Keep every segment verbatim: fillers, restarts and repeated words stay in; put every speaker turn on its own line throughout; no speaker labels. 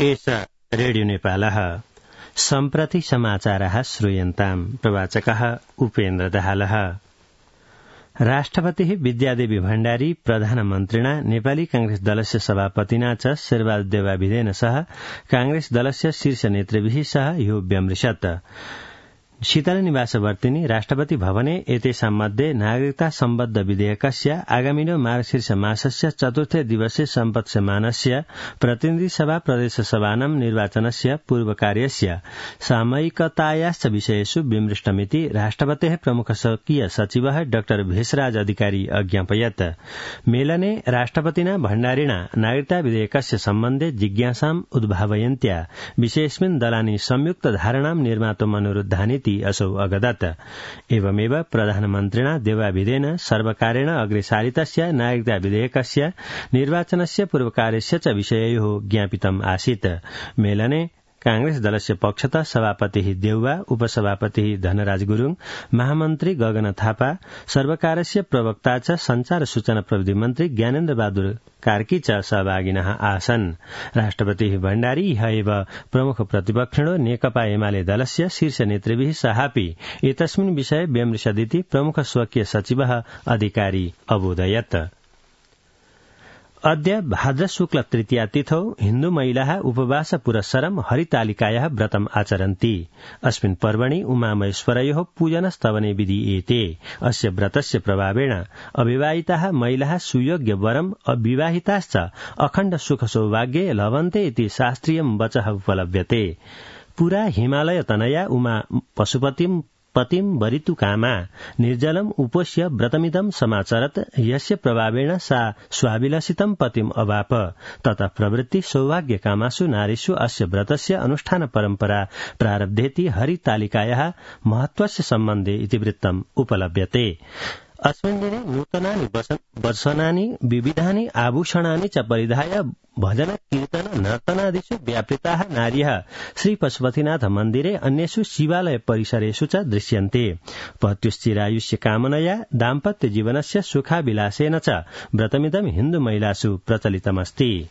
एष रेडियो नेपालः सम्प्रति समाचारः श्रूयन्ताम् प्रवाचकः उपेन्द्र दाहालः। राष्ट्रपतिः विद्यादेवी भण्डारी प्रधानमन्त्रिणा नेपाली कांग्रेस दलस्य सभापतिना च शेरबहादुर देवाविदेन सह कांग्रेस दलस्य शीर्ष नेतृभिः सह ह्यो व्यमृशत्। शीतल निवासवर्तिनी राष्ट्रपति भवने एतेषां मध्ये नागरिकता सम्बद्ध विधेयकस्य आगामिनो मार्गशीर्ष मासस्य चतुर्थे दिवसे सम्पत्स्यमानस्य प्रतिनिधि सभा प्रदेश सभानां निर्वाचनस्य पूर्वकार्यस्य सामयिकतायाश्च विषयेषु विमृष्टमिति राष्ट्रपतेः प्रमुख स्वकीय सचिवः डाक्टर भेषराज अधिकारी अज्ञापयत्। मेलने राष्ट्रपतिना भण्डारिणा नागरिकता विधेयकस्य सम्बन्धे जिज्ञासाम् उद्भावयन्त्या विषयेऽस्मिन् दलानि संयुक्त धारणां निर्मातुम् अनुरुद्धानीति असौ अगदत्। एवमेव प्रधानमन्त्रिणा देवाविदेन सर्वकारेण अग्रे सारितस्य नागरिकता विधेयकस्य निर्वाचनस्य पूर्वकार्यस्य च विषययोः ज्ञापितम् आसीत्। मेलने कांग्रेस दलस्य पक्षतः सभापतिः देउवा, उपसभापतिः धनराज गुरूङ, महामन्त्री गगन थापा, सर्वकारस्य प्रवक्ता च संचार सूचना प्रविधि मन्त्री ज्ञानेन्द्र बहादुर कार्की च सहभागिनः आसन्। राष्ट्रपतिः भण्डारी इह एव प्रमुख प्रतिपक्षिणो नेकपा एमाले दलस्य शीर्ष नेतृभिः सहापि एतस्मिन् विषये व्यमृशदिति प्रमुख स्वकीय सचिवः अधिकारी अबोधयत्। अद्य भाद्र शुक्ल तृतीया तिथौ हिन्दू महिलाः उपवास पुरस्सरं हरितालिकायाः व्रतम् आचरन्ति। अस्मिन् पर्वणि उमामहेश्वरयोः पूजन स्तवने विधीयेते। अस्य व्रतस्य प्रभावेण अविवाहिताः महिलाः सुयोग्य वरम्, अविवाहिताश्च अखण्ड सुख सौभाग्ये लभन्ते इति शास्त्रीयं वचः उपलभ्यते। पुरा हिमालय तनया उमा पशुपतिम् पतिम् वरितु कामा निर्जलम् उपोष्य व्रतमिदं समाचरत्। यस्य प्रभावेण सा स्वाभिलषितं पतिम् अवाप। ततः प्रवृत्ति सौभाग्य कामासु नारीषु अस्य व्रतस्य अनुष्ठान परम्परा प्रारब्धेति हरितालिकायाः महत्वस्य सम्बन्धे इतिवृत्तम् उपलभ्यते। अस्मिन् दिने नूतनानि वसनानि विविधानि आभूषणानि च परिधाय भजन कीर्तन नर्तनादिषु व्यापृताः नार्यः श्री पशुपतिनाथ मन्दिरे अन्येषु शिवालय परिसरेषु च दृश्यन्ते। पत्युश्चिरायुष्य कामनया दाम्पत्य जीवनस्य सुखाभिलाषेन च व्रतमिदं हिन्दू महिलासु प्रचलितमस्ति।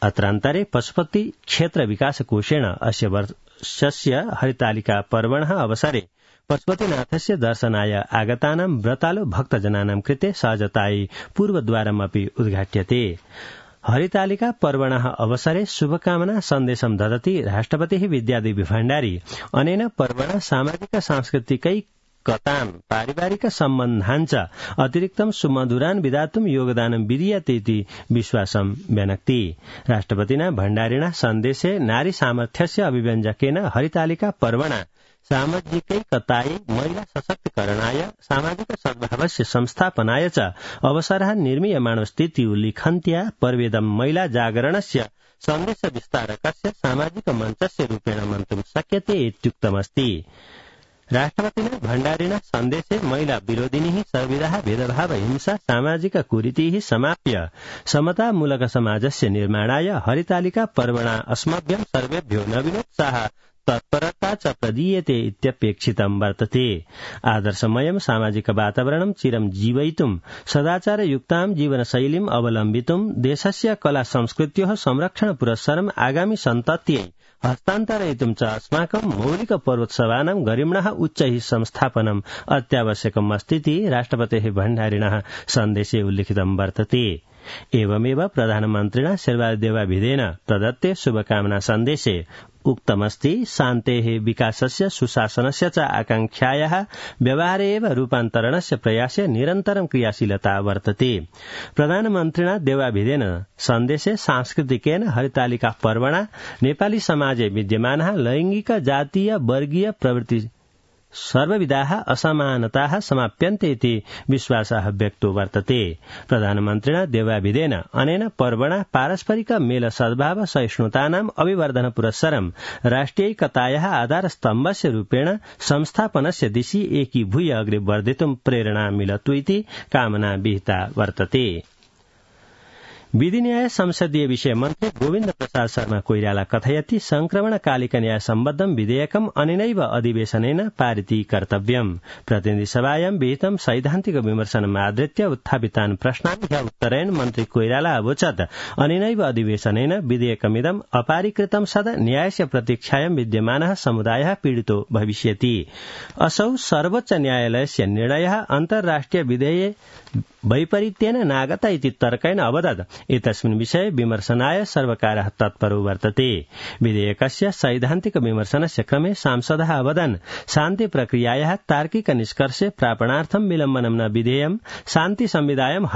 अत्रान्तरे पशुपति क्षेत्र विकास कोषेण अस्य वर्षस्य हरितालिका पर्वणः अवसरे पशुपतिनाथस्य दर्शनाय आगतानां व्रतालु भक्तजनानां कृते सहजतायै पूर्वद्वारमपि उद्घाट्यते। हरितालिका पर्वणः अवसरे शुभकामना सन्देशं ददति राष्ट्रपतिः विद्यादेवी भण्डारी अनेन पर्वणः सामाजिक सांस्कृतिकैकतां पारिवारिक सम्बन्धाञ्च अतिरिक्तं सुमधुरान् विधातुं योगदानं विधीयते इति विश्वासं व्यनक्ति। राष्ट्रपतिना भण्डारिणा सन्देशे नारी सामर्थ्यस्य अभिव्यञ्जकेन हरितालिका पर्वणा सामाजिकैकतायै, महिला सशक्तीकरणाय, सामाजिक सद्भावस्य संस्थापनाय च अवसरः निर्मीयमाणस्थिति उल्लिखन्त्या पर्वेदं महिला जागरणस्य सन्देश विस्तारकस्य सामाजिक मञ्चस्य रूपेण मन्तुं शक्यते इत्युक्तमस्ति। राष्ट्रपतिना भण्डारिणा सन्देशे महिला विरोधिनीः सर्वविधाः भेदभाव हिंसा सामाजिक कुरीतिः समाप्य समतामूलक समाजस्य निर्माणाय हरितालिका पर्वणा अस्मभ्यं सर्वेभ्यो नवीनोत्साह तत्परता च प्रदीयते इत्यपेक्षितं वर्तते। आदर्शमयं सामाजिक वातावरणं चिरं जीवयितुं सदाचारयुक्तां जीवनशैलीम् अवलम्बितुं देशस्य कला संस्कृत्योः संरक्षण पुरस्सरम् आगामि सन्तत्यै हस्तान्तरयितुं च अस्माकं मौलिक पर्वोत्सवानां गरिम्णः उच्चैः संस्थापनम् अत्यावश्यकम् अस्तीति राष्ट्रपतेः भण्डारिणः सन्देशे उल्लिखितं वर्तते। एवमेव प्रधानमन्त्रिणा शेरबहादुर देवाविदेन प्रदत्ते शुभकामना सन्देशे उक्तमस्ति शान्तेः विकासस्य सुशासनस्य च आकांक्षायाः व्यवहारे एव रूपान्तरणस्य प्रयासे निरन्तरं क्रियाशीलता वर्तते। प्रधानमन्त्रिणा देवाविदेन सन्देशे सांस्कृतिकेन हरितालिका पर्वणा नेपाली समाजे विद्यमानः लैङ्गिक जातीय वर्गीय प्रवृत्ति सर्वविधाः असमानताः समाप्यन्ते इति विश्वासः व्यक्तो वर्तते। प्रधानमन्त्रिणा देवाविदेन अनेन पर्वणा पारस्परिक मेल सद्भाव सहिष्णुतानाम् अभिवर्धन पुरस्सरं राष्ट्रियैकतायाः आधारस्तम्भस्य रूपेण संस्थापनस्य दिशि एकीभूय अग्रे वर्धितुं प्रेरणा मिलतु इति कामना विहिता वर्तते। विधि न्याय संसदीय विषय मन्त्री गोविन्द प्रसाद शर्मा कोइराला कथयति संक्रमणकालिक न्याय सम्बद्धं विधेयकम् अनेनैव अधिवेशनेन पारिती कर्तव्यम्। प्रतिनिधि सभायां विहितं सैद्धान्तिक विमर्शनम् आधृत्य उत्थापितान् प्रश्नान् ह्य उत्तरेण मन्त्री कोइराला अवोचत् अनेनैव अधिवेशनेन विधेयकमिदम् अपारिकृतं सदा न्यायस्य प्रतीक्षायां विद्यमानः समुदायः पीडितो भविष्यति। असौ सर्वोच्च न्यायालयस्य निर्णयः अन्तर्राष्ट्रिय विधेये वैपरीत्येन नागत इति तर्केण अवदत्। एतस्मिन् विषये विमर्शनाय सर्वकारः तत्परो वर्तते। विधेयकस्य सैद्धान्तिक विमर्शनस्य क्रमे सांसदः अवदन् शान्ति प्रक्रियायाः तार्किक निष्कर्षे प्रापणार्थं विलम्बनं न विधेयम्। शान्ति संविधायं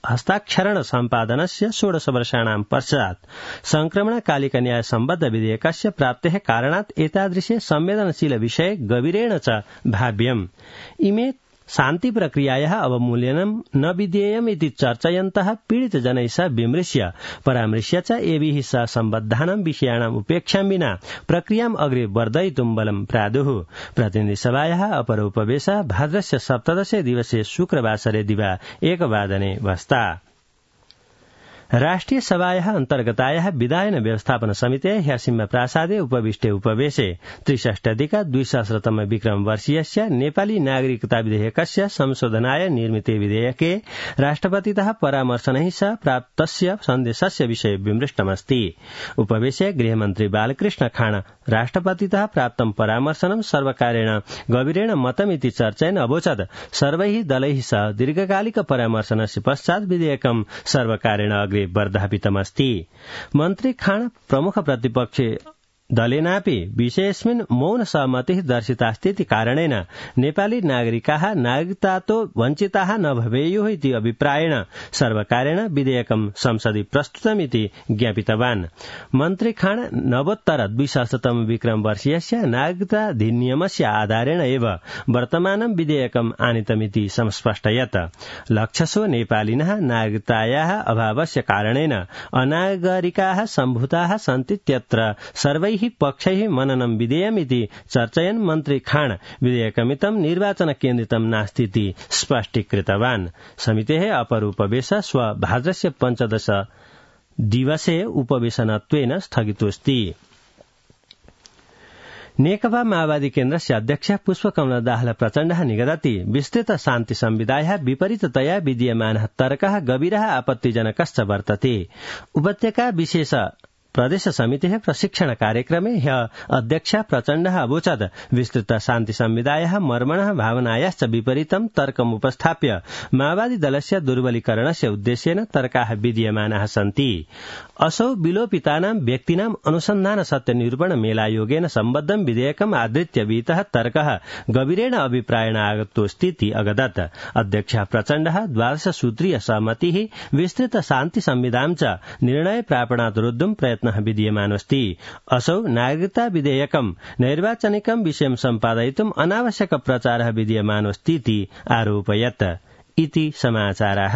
हस्ताक्षरण सम्पादनस्य षोडश वर्षाणां पश्चात् संक्रमणकालिक न्याय सम्बद्ध विधेयकस्य प्राप्तेः कारणात् एतादृशे संवेदनशील विषये गभीरेण च भाव्यम्। इमे शान्ति प्रक्रियायाः अवमूल्यनं न विधेयम् इति चर्चयन्तः पीडितजनैः सह विमृश्य परामृश्य च एभिः सह सम्बद्धानां विषयाणाम् उपेक्षां विना प्रक्रियाम् अग्रे वर्धयितुं बलं प्रादुः। प्रतिनिधिसभायाः अपरोपवेशः भाद्रस्य सप्तदशे दिवसे शुक्रवासरे दिवा एकवादने वस्ता। राष्ट्रिय सभायाः अन्तर्गतायाः विधायन व्यवस्थापन समितेः ह्यसिम्म प्रासादे उपविष्टे उपवेशे त्रिषष्ट्यधिक द्विसहस्रतम विक्रम वर्षीयस्य नेपाली नागरिकता विधेयकस्य संशोधनाय निर्मिते विधेयके राष्ट्रपतितः परामर्शनैः सह प्राप्तस्य सन्देशस्य विषये विमृष्टमस्ति। उपवेशे गृहमन्त्री बालकृष्ण खाण राष्ट्रपतितः प्राप्तं परामर्शनं सर्वकारेण गभीरेण मतमिति चर्चयन् अवोचत् सर्वैः दलैः सह दीर्घकालिक परामर्शनस्य पश्चात् विधेयकं सर्वकारेण अग्रे वर्धापितमस्ति। मन्त्री खाण प्रमुख प्रतिपक्षे दलेनापि विषयेऽस्मिन् मौन सहमतिः दर्शितास्ति इति कारणेन नेपाली नागरिकाः नागरिकतातो वञ्चिताः न भवेयुः इति अभिप्रायेण सर्वकारेण विधेयकं संसदि प्रस्तुतमिति ज्ञापितवान्। मन्त्री खाण नवोत्तर द्विसहस्रतम विक्रम वर्षीयस्य नागरिकताधिनियमस्य आधारेण एव वर्तमानं विधेयकम् आनीतमिति संस्पष्टयत्। लक्षशो नेपालिनः नागरिकतायाः अभावस्य कारणेन अनागरिकाः सम्भूताः सन्तीत्यत्र सर्वैः पक्षैः मननं विधेयमिति चर्चयन् मन्त्री खाण विधेयकमितं निर्वाचन केन्द्रितं नास्तीति स्पष्टीकृतवान्। समितेः अपर उपवेशः श्व भाद्रस्य पञ्चदश दिवसे उपवेशनत्वेन स्थगितोऽस्ति। नेकपा माओवादी केन्द्रस्य अध्यक्ष पुष्पकमल दाहाल प्रचण्डः निगदति विस्तृत शान्ति संविधायः विपरीततया विद्यमानः तर्कः गभीरः आपत्तिजनकश्च वर्तते। उपत्यका विशेष प्रदेश समितेः प्रशिक्षण कार्यक्रमे ह्य अध्यक्ष प्रचण्डः अवोचत् विस्तृत शान्ति संविधायः मर्मणः भावनायाश्च विपरीतं तर्कम् उपस्थाप्य माओवादी दलस्य दुर्बलीकरणस्य उद्देश्येन तर्काः विद्यमानाः सन्ति। असौ विलोपितानां व्यक्तीनाम् अनुसन्धान सत्य निरूपण मेलायोगेन सम्बद्धं विधेयकम् आधृत्य विहितः तर्कः गभीरेण अभिप्रायेण आगतोऽस्तीति अगदत्। अध्यक्ष प्रचण्डः द्वादश सूत्रीय सहमतिः विस्तृत शान्ति संविधानं च निर्णय प्रापणात् रोद्धुं प्रयत्न विद्यमानोऽस्ति। असौ नागरिकता विधेयकं नैर्वाचनिकं विषयं सम्पादयितुम् अनावश्यक प्रचारः विद्यमानोऽस्तीति आरोपयत्। इति समाचारः।